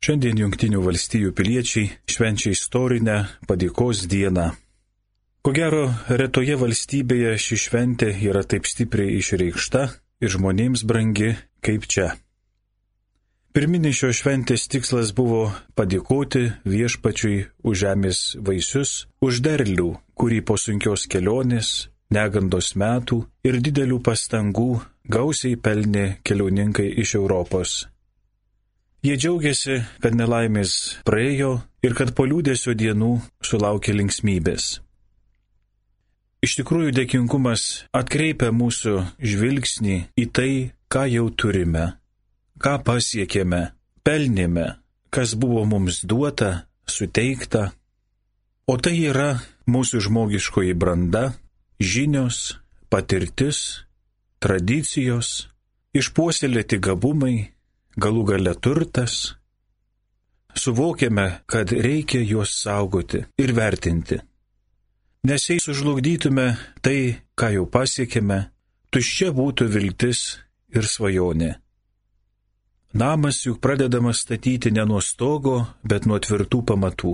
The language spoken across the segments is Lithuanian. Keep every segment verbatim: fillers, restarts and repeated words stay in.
Šiandien Jungtinių valstijų piliečiai švenčia istorinę padėkos dieną. Ko gero, retoje valstybėje ši šventė yra taip stipriai išreikšta ir žmonėms brangi kaip čia. Pirminis šios šventės tikslas buvo padėkoti viešpačiui už žemės vaisius, už derlių, kurį po sunkios kelionės, negandos metų ir didelių pastangų gausiai pelnė keliauninkai iš Europos. Jie džiaugiasi, kad nelaimės praėjo ir kad po liūdėsio dienų sulaukė linksmybės. Iš tikrųjų, dėkingumas atkreipia mūsų žvilgsnį į tai, ką jau turime, ką pasiekėme, pelnėme, kas buvo mums duota, suteikta. O tai yra mūsų žmogiškoji branda, žinios, patirtis, tradicijos, išpuoselėti gabumai, galų gale turtas. Suvokiame, kad reikia juos saugoti ir vertinti. Nes jei sužlugdytume tai, ką jau pasiekėme, tuščia būtų viltis ir svajonė. Namas juk pradedamas statyti ne nuo stogo, bet nuo tvirtų pamatų.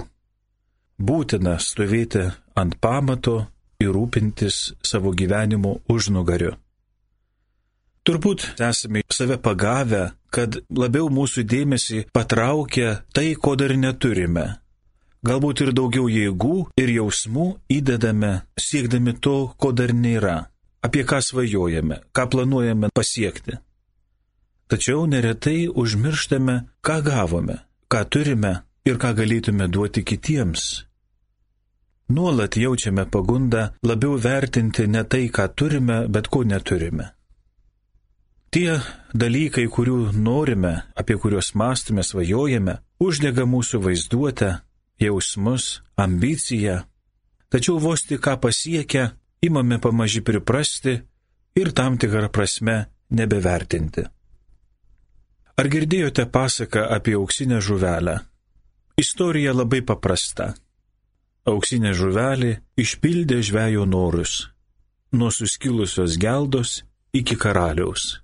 Būtina stovėti ant pamato ir rūpintis savo gyvenimo užnugariu. Turbūt esame save pagavę, kad labiau mūsų dėmesį patraukia tai, ko dar neturime. Galbūt ir daugiau jėgų ir jausmų įdedame, siekdami to, ko dar nėra, apie ką svajojame, ką planuojame pasiekti. Tačiau neretai užmirštame, ką gavome, ką turime ir ką galėtume duoti kitiems. Nuolat jaučiame pagundą labiau vertinti ne tai, ką turime, bet ko neturime. Tie dalykai, kurių norime, apie kuriuos mąstome, svajojame, uždega mūsų vaizduotę, jausmus, ambiciją. Tačiau vos tik ką pasiekę, imame pamaži priprasti ir tam tikrą prasme nebevertinti. Ar girdėjote pasaką apie auksinę žuvelę? Istorija labai paprasta. Auksinė žuvelė išpildė žvejo norus, nuo suskilusios geldos iki karaliaus.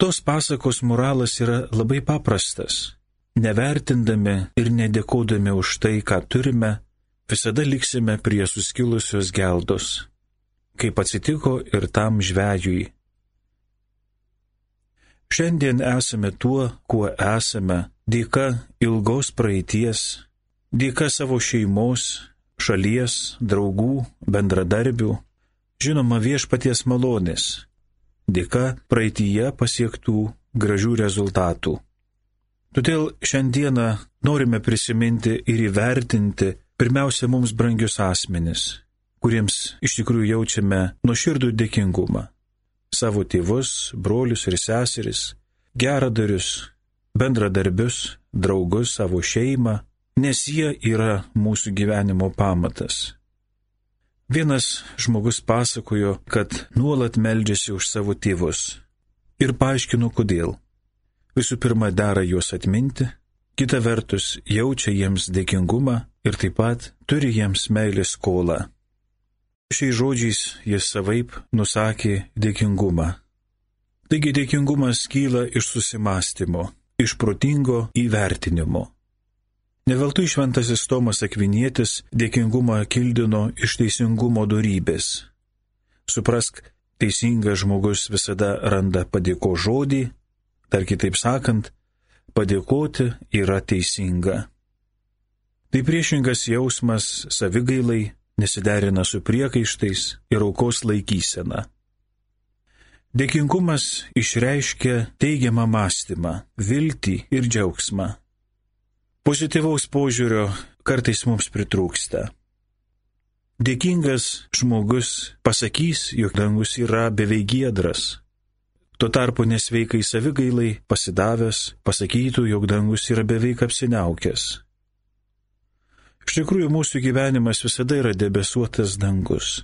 Tos pasakos moralas yra labai paprastas. Nevertindami ir nedėkodami už tai, ką turime, visada liksime prie suskilusios geldos, kaip atsitiko ir tam žvejui. Šiandien esame tuo, kuo esame, dėka ilgos praeities, dėka savo šeimos, šalies, draugų, bendradarbių, žinoma viešpaties malonės, dėka praeityje pasiektų gražių rezultatų. Todėl šiandieną norime prisiminti ir įvertinti pirmiausia mums brangius asmenis, kuriems iš tikrųjų jaučiame nuoširdų dėkingumą. Savo tėvus, brolius ir seseris, geradarius, bendradarbius, draugus, savo šeimą, nes jie yra mūsų gyvenimo pamatas. Vienas žmogus pasakojo, kad nuolat meldžiasi už savo tėvus ir paaiškino kodėl. Visų pirma, dera juos atminti, kita vertus jaučia jiems dėkingumą ir taip pat turi jiems meilės skolą. Šiais žodžiais jis savaip nusakė dėkingumą. Taigi dėkingumas kyla iš susimąstymo, iš protingo įvertinimo. Neveltui šventasis Tomas Akvinietis dėkingumą kildino iš teisingumo dorybės. Suprask, teisingas žmogus visada randa padėko žodį, dar kitaip sakant, padėkoti yra teisinga. Tai priešingas jausmas savigailai, nesiderina su priekaištais ir aukos laikysena. Dėkingumas išreiškia teigiamą mąstymą, viltį ir džiaugsmą. Pozityvaus požiūrio kartais mums pritrūksta. Dėkingas žmogus pasakys, jog dangus yra beveik giedras. Tuo tarpu nesveikai savigailai pasidavęs pasakytų, jog dangus yra beveik apsiniaukęs. Iš tikrųjų, mūsų gyvenimas visada yra debesuotas dangus.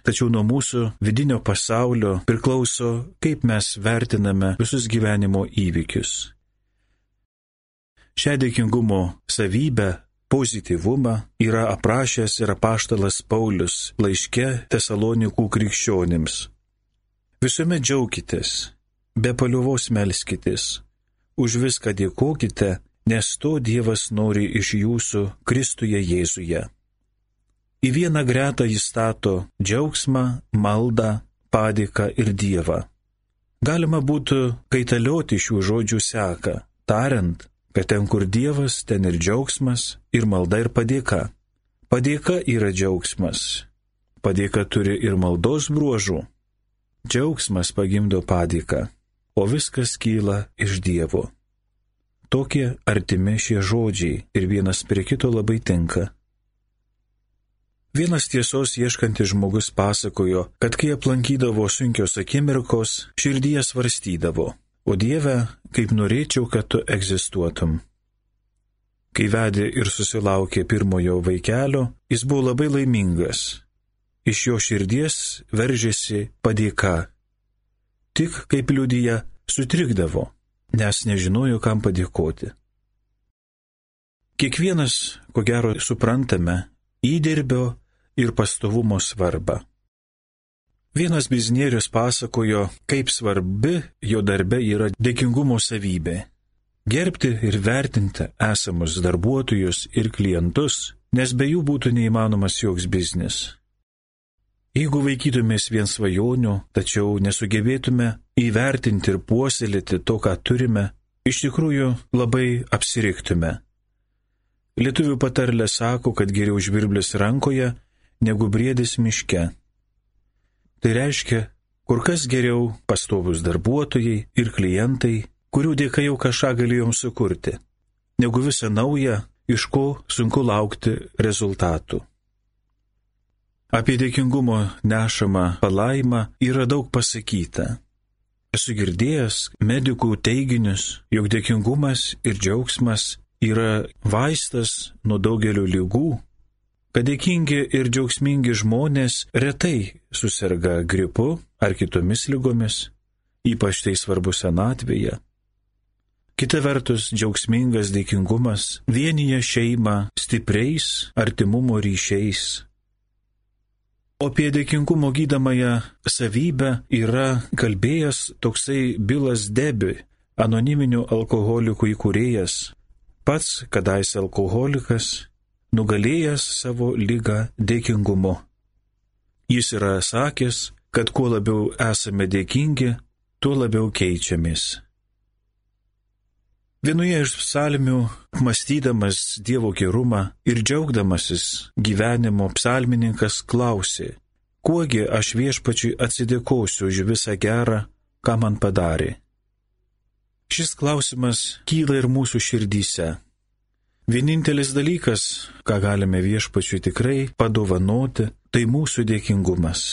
Tačiau nuo mūsų vidinio pasaulio priklauso, kaip mes vertiname visus gyvenimo įvykius. Šią dėkingumo savybę, pozityvumą yra aprašęs ir apaštalas Paulius laiške Tesalonikų krikščionims. Visuomet džiaukitės, be paliovos melskitės, už viską dėkokite, nes to Dievas nori iš jūsų Kristuje Jėzuje. Į vieną gretą jis stato džiaugsmą, maldą, padėką ir Dievą. Galima būtų kaitalioti šių žodžių seką, tariant, kad ten, kur Dievas, ten ir džiaugsmas, ir malda, ir padėka. Padėka yra džiaugsmas. Padėka turi ir maldos bruožų. Džiaugsmas pagimdo padėką, o viskas kyla iš Dievo. Tokie artimi šie žodžiai ir vienas prie kito labai tinka. Vienas tiesos ieškantis žmogus pasakojo, kad kai aplankydavo sunkios akimirkos, širdyje svarstydavo, o Dieve, kaip norėčiau, kad tu egzistuotum. Kai vedė ir susilaukė pirmojo vaikelio, jis buvo labai laimingas. Iš jo širdies veržėsi padėka. Tik, kaip liudija, sutrikdavo, nes nežinojo, kam padėkoti. Kiekvienas, ko gero, suprantame įdirbio ir pastovumo svarbą. Vienas biznierius pasakojo, kaip svarbi jo darbe yra dėkingumo savybė. Gerbti ir vertinti esamus darbuotojus ir klientus, nes be jų būtų neįmanomas joks biznis. Jeigu vaikytumės vien svajonių, tačiau nesugebėtume įvertinti ir puoselėti to, ką turime, iš tikrųjų labai apsiriktume. Lietuvių patarlė sako, kad geriau žvirblis rankoje, negu briedis miške. Tai reiškia, kur kas geriau pastovus darbuotojai ir klientai, kurių dėka jau kažką galėjom sukurti, negu visą naują, iš ko sunku laukti rezultatų. Apie dėkingumo nešamą palaimą yra daug pasakyta. Esu girdėjęs medikų teiginius, jog dėkingumas ir džiaugsmas yra vaistas nuo daugelio ligų, kad dėkingi ir džiaugsmingi žmonės retai suserga gripu ar kitomis ligomis, ypač tai svarbu senatvėje. Kita vertus, džiaugsmingas dėkingumas vienija šeimą stipriais artimumo ryšiais. O apie dėkingumo gydomąją savybę yra kalbėjęs toksai Bilas Debi, anoniminių alkoholikų įkūrėjas, pats kadais alkoholikas, nugalėjęs savo ligą dėkingumu. Jis yra sakęs, kad kuo labiau esame dėkingi, tuo labiau keičiamės. Vienoje iš psalmių, mąstydamas Dievo gerumą ir džiaugdamasis gyvenimo, psalmininkas klausė, kuogi aš viešpačiui atsidėkosiu už visą gerą, ką man padarė. Šis klausimas kyla ir mūsų širdyse. Vienintelis dalykas, ką galime viešpačiui tikrai padovanoti, tai mūsų dėkingumas.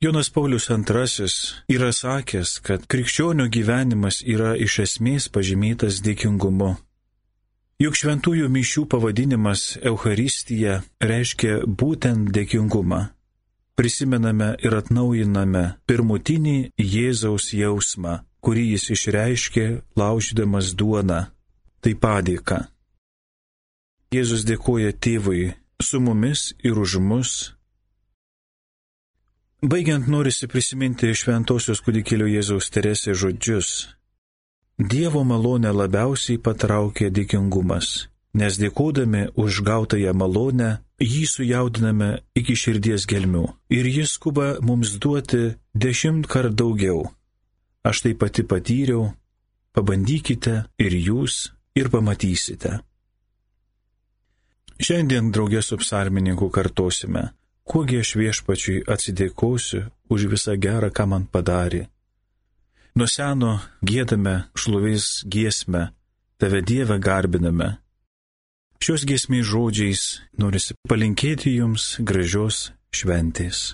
Jonas Paulius antrasis yra sakęs, kad krikščionio gyvenimas yra iš esmės pažymėtas dėkingumu. Juk šventųjų mišių pavadinimas Eucharistija reiškia būtent dėkingumą. Prisimename ir atnaujiname pirmutinį Jėzaus jausmą, kurį jis išreiškė laužydamas duoną. Tai padėka. Jėzus dėkoja Tėvui su mumis ir už mus. Baigiant norisi prisiminti šventosios kūdikėlio Jėzaus Teresės žodžius. Dievo malonę labiausiai patraukia dėkingumas, nes dėkodami už gautąją malonę, jį sujaudiname iki širdies gelmių ir jis skuba mums duoti dešimt kart daugiau. Aš tai pati patyriau, pabandykite ir jūs ir pamatysite. Šiandien draugė su psalmininku kartosime. Kuogi aš viešpačiui atsidėkosiu už visą gerą, ką man padarė. Nuo seno giedame šlovės giesmę, tave Dieve garbiname. Šios giesmės žodžiais norisi palinkėti jums gražios šventės.